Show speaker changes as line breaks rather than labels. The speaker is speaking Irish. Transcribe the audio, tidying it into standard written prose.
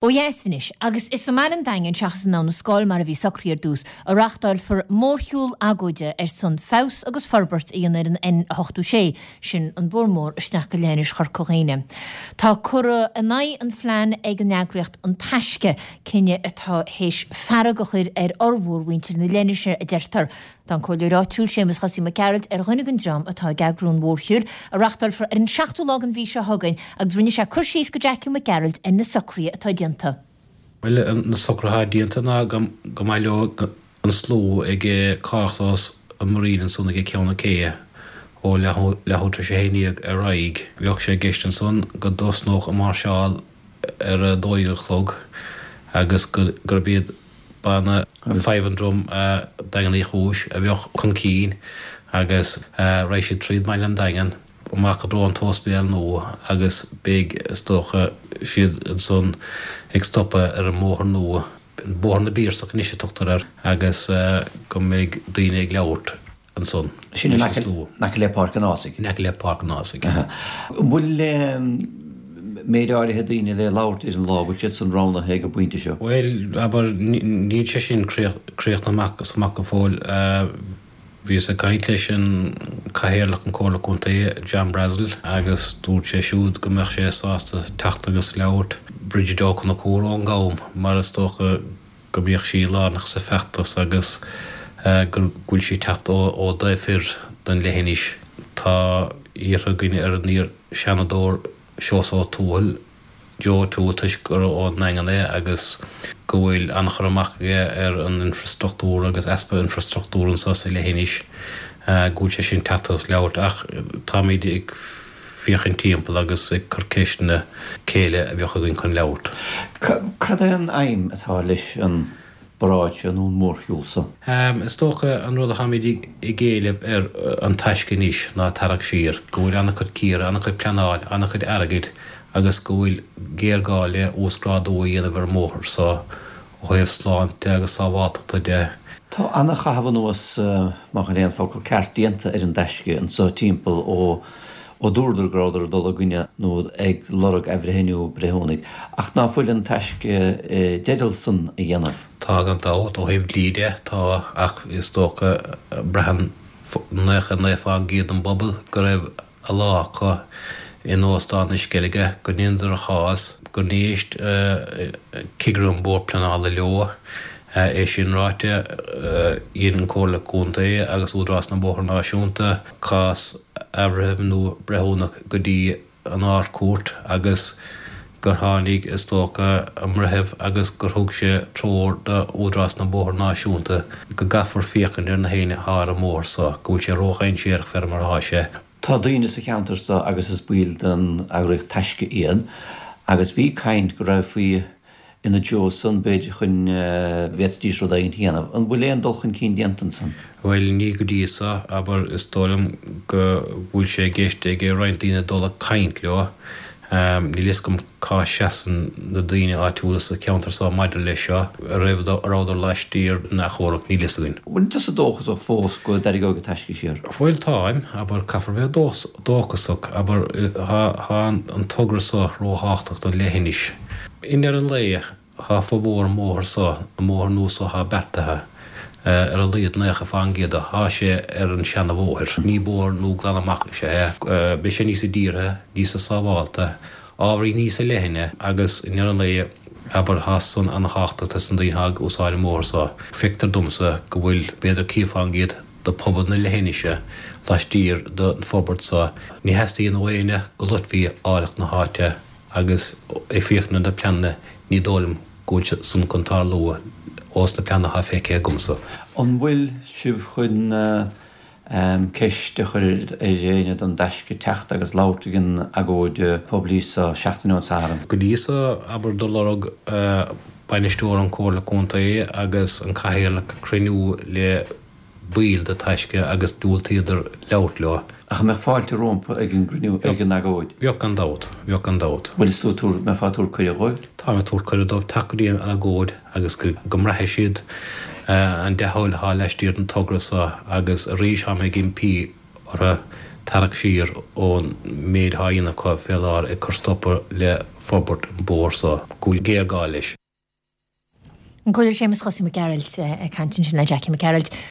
Ó dheas anois, agus is i mbaile an Daingin seachas in Abha na Scáil mar a bhí socraithe ar dtús, a reáchtálfar mórshiúl agóide ar son feabhas agus forbairt a dhéanamh ar an N86, sin an bóthar mór isteach go Leithinis Chorca Dhuibhne. Tá curtha in aghaidh an phlean ag an eagraíocht An Taisce, cinneadh atá théis fearg a chur ar fhormhór mhuintir na leithinise, a deirtear. Tá an Comhairleoir áitiúil Séamus Chosaí Mac Gearailt ar dhuine den dream atá ag eagrú an mhórshiúil, a reáchtálfar ar an seachtú lá den mhí seo chugainn, agus rinne sé cur síos go Jackie Mac Gearailt ar na socruithe atá déanta.
Bhuel, na socruithe atá déanta ná go mbaileoidh an slua ag carrchlós an Marine ansan ag Ceann na Céibhe ó leathuair tar éis a haon dhéag ar aghaidh. Bheadh sé i gceist ansan go dtosnódh an máirseáil ar a 12 a chlog agus gurb iad Banna Fife and Drum Daingean Uí Chúis a bheadh chun cinn agus raghaidh siad tríd mbaile an Daingin, amach i dtreo an t-ospidéal nua agus beidh, is dócha, siad ansan ag stopadh ar an mbóthar nua, Bóthar na bPiarsach anois a tugtar air, agus go mbeidh daoine ag labhairt. ansan.
Sin in aice le Páirc an Ághasaigh.
In aice le Páirc an Ághasaigh.
An bhfuil méid áirithe daoine le labhairt ar an lá, bhfuil siad san roghnaithe ag an bpointe seo?
Bhuel, abair, níl sé sin críochnaithe amach is amach go fóill. Bhíos ag caint leis an Cathaoirleach an Comhairle Contae, John Brassil, agus dúirt sé siúd go mbeadh sé sásta teacht agus labhairt. Bridget Ó Conchúir ón gCam, mar is dócha go mbíodh sí lárnach sa feachtas agus go bhfuil sí ag teacht ón dtaobh thoir den leithinis. Tá iarrtha againn ar an iar-Sheanadóir Seosamh Ó Tuathail, Joe O'Toole, toisc gur ón nDaingean é agus go bhfuil an-chur amach aige ar an infrastruchtúr agus easpa infrastruchtúr anseo sa leithinis, go bhfuil sé sin teacht agus labhairt ach táimid ag féachaint timpeall agus ag cur ceisteanna cé eile a bheadh againn chun labhairt.
Cad é an aidhm atá leis an bparáid seo nó an mórshiúl
seo? Is dócha an rud atáimid ag éileamh ar An Taisce anois ná tarrac siar, go bhfuil an-chuid cíoradh, an-chuid pleanáil, an-chuid airgid agus go bhfuil géarghá le uasghrádú a dhéanamh ar an mbóthar so ó thaobh sláinte agus sábháltachta de.
Tá ana-chaitheamh anuas, má shin é an focal ceart, déanta ar an dTaisce anso timpeall ó ó dúradar go rabhadar ag dul i gcoinne nó ag lorg athbhreithniú breithiúnaigh, ach ná fuil an Taisce i dteideal san a dhéanamh?
Tá gan dabht, ó thaobh dlí de, tá, ach is dócha, braitheann 99% den bpobal go raibh a lá acu in Óstán na Sceilge, go ndeineadar a chás, gur éist cigire an Bhord Pleanála leo. É sin ráite, dhein an Comhairle Contae agus Údarás na mBóithre Náisiúnta cás athbhreithimh nó breithiúnach go dtí an Ard-Chúirt agus gur tháinig, is dócha, an breitheamh agus gur thug sé treoir do Údarás na mBóithre Náisiúnta go gcaithfear féachaint ar na héinne atá ar an mbóthar so, go bhfuil sé ró-dhainséarach fé mar atá sé.
Tá daoine sa cheantar so agus is baill den eagraíocht Taisce iad agus bhí caint go raghfaí ina dtreo san, b'fhéidir, chun bhféadfaidís rud éigint a dhéanamh. An bhfuil aon dul chun cinn déanta ansan?
Bhuel, ní go dtí so, abair, is dóigh liom go bhfuil sé i gceist ag roinnt daoine dul ag caint leo. Níl fhios agam cá seasann na daoine áitiúla sa cheantar so maidir leis seo, an raibh, an rabhadar laistiar den achomharc, níl fhios againn.
Bhfuil tusa dóchasach fós go dtarraingeoidh an Taisce siar?
Bhuel táim, abair, caithfear bheith dóchasach, abair, tá an togra so róthábhachtach don leithinis. I ndeireadh an lae, Tá formhór an mbóthar so, an mbóthar nua so thá beartaithe, ar a laghad 90% de, thá sé ar an seana bhóthar. Ní bóthar nua glan amach is ea é. Beidh sé níosa dírithe, níosa sábhálta, ábhairín níosa leithne agus i ndeireadh an lae, abair, thá san ana-thábhachtach dos na daoine thá ag úsáid an mbóthar so. Feictear domsa go bhfuil b'fhéidir 50% de phobal na leithinise laistiar den forbairt so. Ní theastaíonn ó éinne go loitfí áilleacht na háite. Agus ag féachaint ar na pleananna ní dóigh liom go bhfuil sé san chun tarlú ós na pleananna atá feicthe agamsa.
An bhfuil sibh chun ceist a chur ar éinne don dTaisce teacht agus labhairt ag an agóid poiblí so seachtain ón Satharn?
Go dtí so, abair, do lorg bainisteoir an Comhairle Contae agus an Cathaoirleach cruinniú le baill de Taisce agus diúltaíodar labhairt leo.
Ach an mbeadh fáilte rompu ag an gcruinniú, ag an agóid?
Bheadh gan dabht, bheadh gan dabht.
Bhfuil is tú ag tabhairt, mbeifeá ag tabhairt cuireadh
dhóibh? Táim ag tabhairt cuireadh dóibh teacht go dtí an agóid agus go go mbraithfidh siad an dea-thoil atá laistiar den togra so agus arís táim ag impí orthu. Tarrac siar ón méid atá á dhéanamh acu fé láthair ag cur stopadh le forbairt an bóthar so, go bhfuil géarghá leis.
An Comhairleoir Séamus Chosaí Mac Gearailt ag caint ansin le Jackie Mac Gearailt.